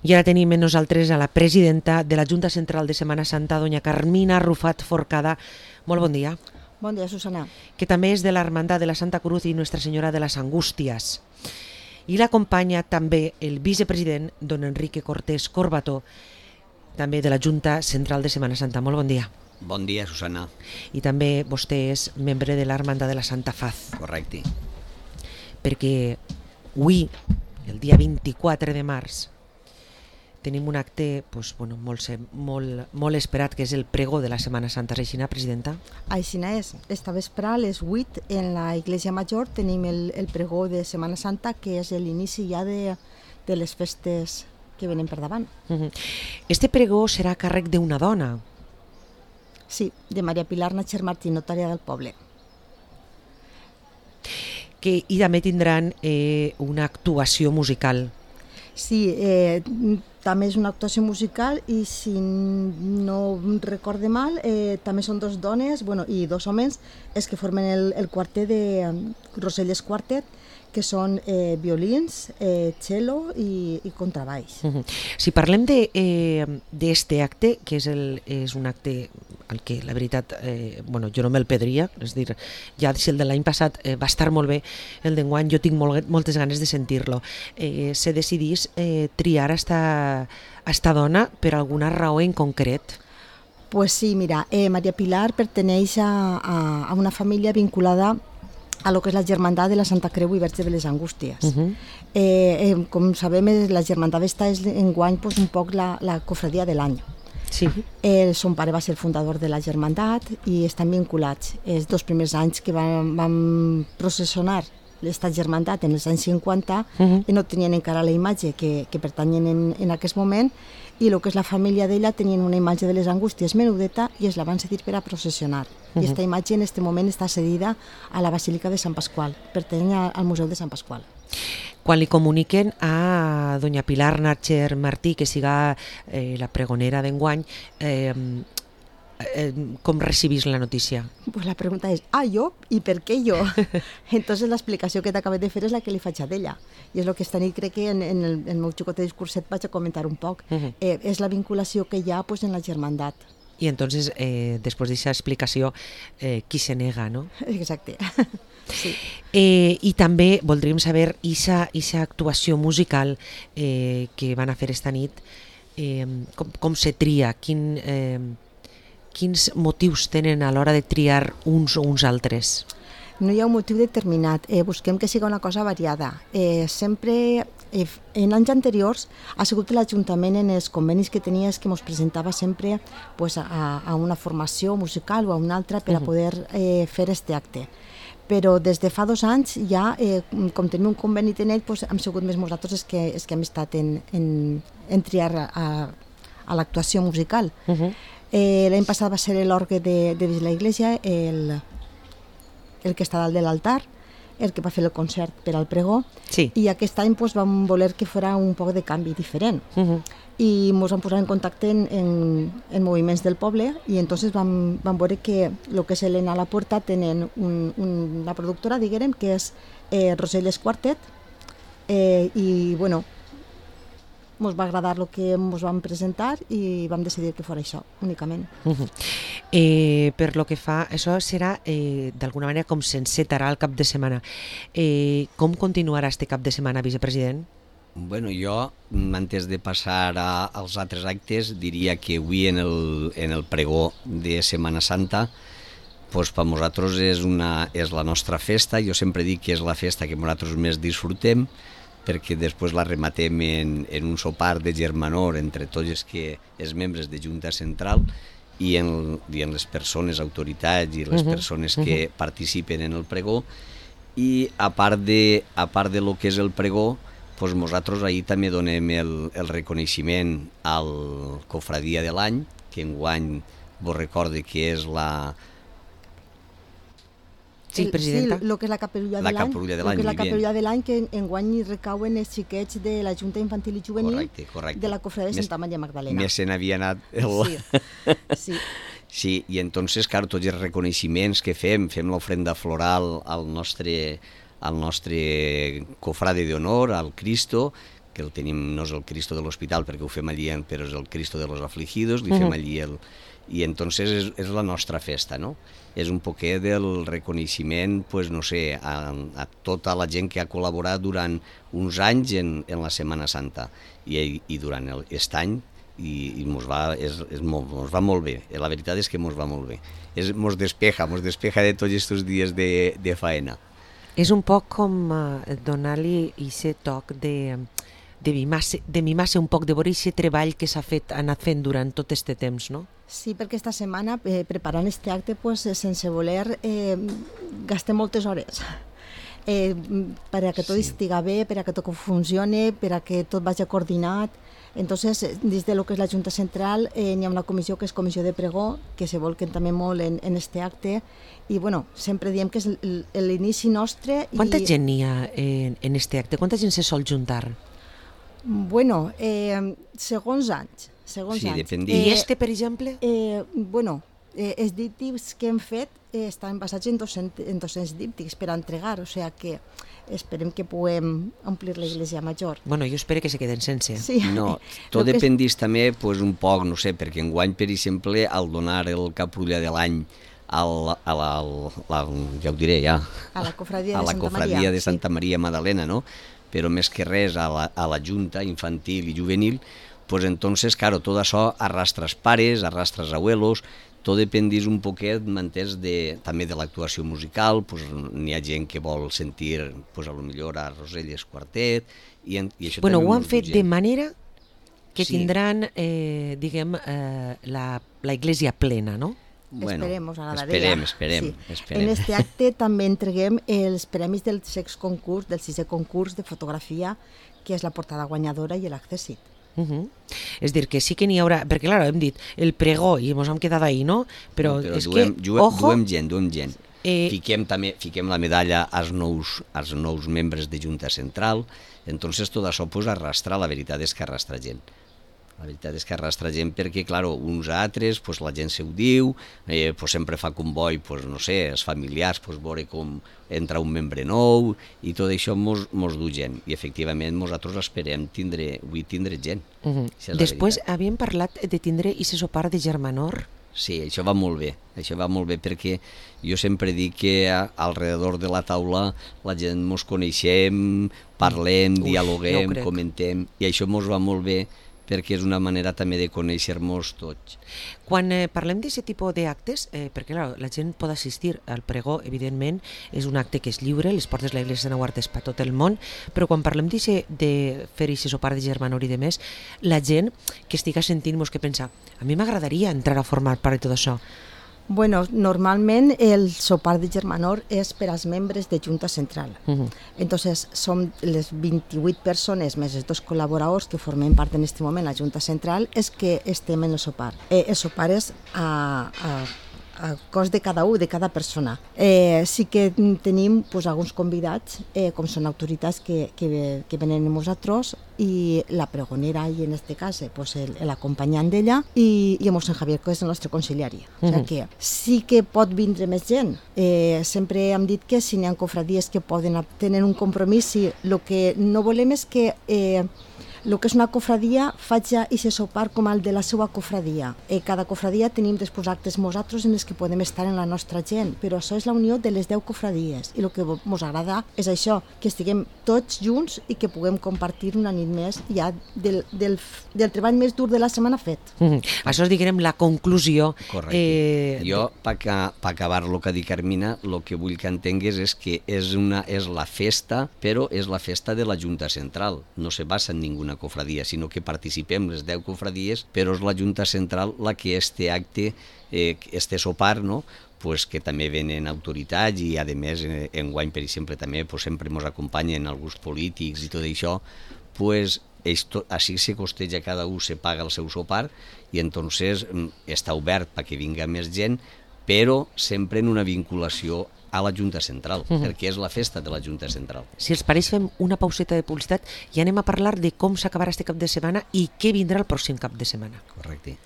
I ara tenim amb nosaltres a la presidenta de la Junta Central de Setmana Santa, doña Carmina Arrufat Forcada. Molt bon dia. Bon dia, Susana. Que també és de la Hermandad de la Santa Cruz i Nuestra Senyora de las Angustias. I l'acompanya també el vicepresident, don Enrique Cortés Corbató, també de la Junta Central de Setmana Santa. Molt bon dia. Bon dia, Susana. I també vostè és membre de l'Hermandad de la Santa Faz. Correcte. Perquè avui, el dia 24 de març, tenim un acte molt esperat, que és el pregó de la Setmana Santa. És així, presidenta? Així és. Esta vespre a les 8 en la Iglesia Major tenim el pregó de Setmana Santa, que és l'inici ja de les festes que venen per davant. Este pregó serà a càrrec d'una dona. Sí, de Maria Pilar Nacher Martín, notària del poble. I també tindran una actuació musical. Sí, també és una actuació musical i si no recorde mal, també són dos dones i dos homes els que formen el quartet de Roselles Quartet, que són violins, cello i contrabaix. Si parlem d'este acte, que és un acte al que la veritat jo no me'l perdria, és dir, ja si el de l'any passat va estar molt bé, el d'enguany jo tinc moltes ganes de sentir-lo. Se decidís triar esta dona per alguna raó en concret? Pues sí, mira, Maria Pilar perteneix a una família vinculada a lo que és la Germandat de la Santa Creu i Verge de les Angústies. Com sabem, la Germandat esta és enguany un poc la cofradia de l'any. Sí. Son pare va ser el fundador de la Germandat i estan vinculats. Els dos primers anys que vam processionar l'Estat Germandat en els anys 50 no tenien encara la imatge que pertanyen en aquest moment, i el que és la família d'ella tenien una imatge de les Angústies menudeta i es la van cedir per a processionar. I aquesta imatge en aquest moment està cedida a la Basílica de Sant Pasqual, pertany al Museu de Sant Pasqual. Quan li comuniquen a doña Pilar Nacher Martí que siga la pregonera d'enguany, com recibís la notícia? Pues la pregunta és, jo? I per què jo? Entonces l'explicació que t'acabé de fer és la que li faig a d'ella. I és el que esta nit crec que en el meu xicotet discurset vaig a comentar un poc. És la vinculació que hi ha en la Germandat. I entonces, després d'aquesta explicació, qui se nega, no? Exacte. Sí. I també voldríem saber aquesta actuació musical que van a fer esta nit, com se tria, quins motius tenen a l'hora de triar uns o uns altres? No hi ha un motiu determinat, busquem que sigui una cosa variada. Sempre, en anys anteriors, ha sigut l'Ajuntament en els convenis que tenia que ens presentava sempre a una formació musical o a una altra per a poder fer aquest acte. Però des de fa 2 anys ja, com tenim un conveni en ell, hem sigut més nosaltres els que hem estat en triar a l'actuació musical. L'any passat va ser l'orgue de la Iglesia, el que està dalt de l'altar, el que va fer el concert per al pregó, i aquest any vam voler que fos un poc de canvi diferent. I ens vam posar en contacte en moviments del poble i entonces vam veure que el que és l'Ena a la Puerta tenen una productora, diguem, que és Roselles Quartet, i ens va agradar el que ens vam presentar i vam decidir que fos això, únicament. Per lo que fa, això serà d'alguna manera com s'encetarà el cap de setmana. Com continuarà este cap de setmana, vicepresident? Jo, antes de passar als altres actes, diria que avui en el pregó de Setmana Santa, per nosaltres és la nostra festa. Jo sempre dic que és la festa que nosaltres més disfrutem, perquè després la rematem en un sopar de germanor entre tots els membres de Junta Central i en les persones, autoritats i les persones que participen en el pregó. I a part de lo que és el pregó, nosaltres ahir també donem el reconeixement al Cofradia de l'any, que enguany vos recorde que és la... Sí, presidenta. Sí, el que és la capellulla de l'any, que enguany hi recauen els xiquets de la Junta Infantil i Juvenil de la Cofradia de Santa Maria Magdalena. Més se n'havia anat Sí, i entonces, clar, tots els reconeixements que fem l'ofrenda floral al nostre cofrade d'honor, al Cristo, que el tenim, no és el Cristo de l'Hospital perquè ho fem allí, però és el Cristo de los Afligidos, li fem allí i entonces és la nostra festa, no? És un poquet del reconeixement, pues, no sé, a tota la gent que ha col·laborat durant uns anys en la Setmana Santa i durant aquest any i mos va molt bé. La veritat és que mos va molt bé. Mos despeja de tots aquests dies de faena. És un poc com donar-li aquest toc de mimar-se un poc, de veure aquest treball que s'ha anat fent durant tot aquest temps, no? Sí, perquè esta setmana, preparant aquest acte, pues, sense voler, gastem moltes hores per a que tot estiga bé, per a que tot funcione, per a que tot vagi coordinat. Entonces, des de lo que és la Junta Central, hi ha una comissió que és comissió de pregó, que se volquen també molt en aquest acte, i bueno, sempre diem que és l'inici nostre. Quanta gent hi ha en aquest acte? Quanta gent se sol juntar? Bueno, segons anys. Sí, depèn. I per exemple? Bueno, els díptics que hem fet estan basats en 200 díptics per a entregar, o sigui que esperem que puguem omplir l'església major. Bueno, jo espero que se queden sense. Sí. No, tot dependís també pues, un poc, no sé, perquè enguany, per exemple, al donar el caprulla de l'any ja ho diré ja, a la cofradia de Santa Maria Magdalena, no? Però més que res a la Junta Infantil i Juvenil, pues entonces, claro, todo eso arrastras pares, arrastras abuelos, tot dependís un poquet, m'entens, també de l'actuació musical, pues, n'hi ha gent que vol sentir, pues, a lo millor a Roselles Quartet, i això bueno, també ho han fet de manera que sí. Tindran, diguem, la iglesia plena, no? Bueno, esperem. Sí. En este acte també entreguem els premis del sisè concurs de fotografia, que és la portada guanyadora i l'accèssit. És dir, que sí que n'hi haurà, perquè clar, hem dit el pregó i ens hem quedat ahí, no? Però és que, ojo... Duem gent. Fiquem la medalla als nous membres de Junta Central, entonces tot això pues, arrastra, la veritat és que arrastra gent. La veritat és que arrastra gent perquè, clar, uns a altres, pues, la gent se ho diu, pues, sempre fa comboi, pues, no sé, els familiars, pues, veure com entra un membre nou, i tot això mos du gent. I efectivament nosaltres esperem avui tindre gent. Després havíem parlat de tindre aquest sopar de germanor. Sí, això va molt bé perquè jo sempre dic que alrededor de la taula la gent mos coneixem, parlem, dialoguem, comentem, i això mos va molt bé perquè és una manera també de conèixer-nos tots. Quan parlem d'aquest tipus d'actes, perquè clar, la gent pot assistir al pregó, evidentment, és un acte que és lliure, les portes de l'Església de Sant Guardes per tot el món, però quan parlem de fer aquest sopar de germanor i de més, la gent que estiga sentint-nos que pensa, a mi m'agradaria entrar a formar part de tot això. Bueno, normalment el sopar de germanor és per als membres de Junta Central. Entonces, som les 28 persones més els 2 col·laboradors que formem part en aquest moment a la Junta Central és que estem en el sopar. El sopar és a cost de cada de cada persona. Sí que tenim pues, alguns convidats, com són autoritats que venen amb nosaltres, i la pregonera, i en aquest cas pues, l'acompanyant d'ella, i en Mossèn Javier, que és el nostre conciliari. O sigui que sí que pot vindre més gent. Sempre hem dit que si n'hi ha cofradies que poden tenir un compromís, sí. El que no volem és que el que és una cofradia faig aquest sopar com el de la seva cofradia. Cada cofradia tenim després actes nosaltres en els que podem estar en la nostra gent, però això és la unió de les 10 cofradies, i el que ens agrada és això, que estiguem tots junts i que puguem compartir una nit més ja del treball més dur de la setmana fet. Això és, diguem, la conclusió. Correcte. Jo, per acabar el que ha dit Carmina, el que vull que entengues és que és la festa, però és la festa de la Junta Central, no se basa en ninguna cofradia, sinó que participem les 10 cofradies, però és la Junta Central la que este acte, este sopar, no? Pues que també venen autoritats i a més enguany, per exemple, també pues, sempre ens acompanyen alguns polítics i tot això, pues així se costeja, cada un se paga el seu sopar i entonces està obert perquè vinga més gent, però sempre en una vinculació a la Junta Central, perquè és la festa de la Junta Central. Si els pareix, fem una pauseta de publicitat i anem a parlar de com s'acabarà este cap de setmana i què vindrà el pròxim cap de setmana. Correcte.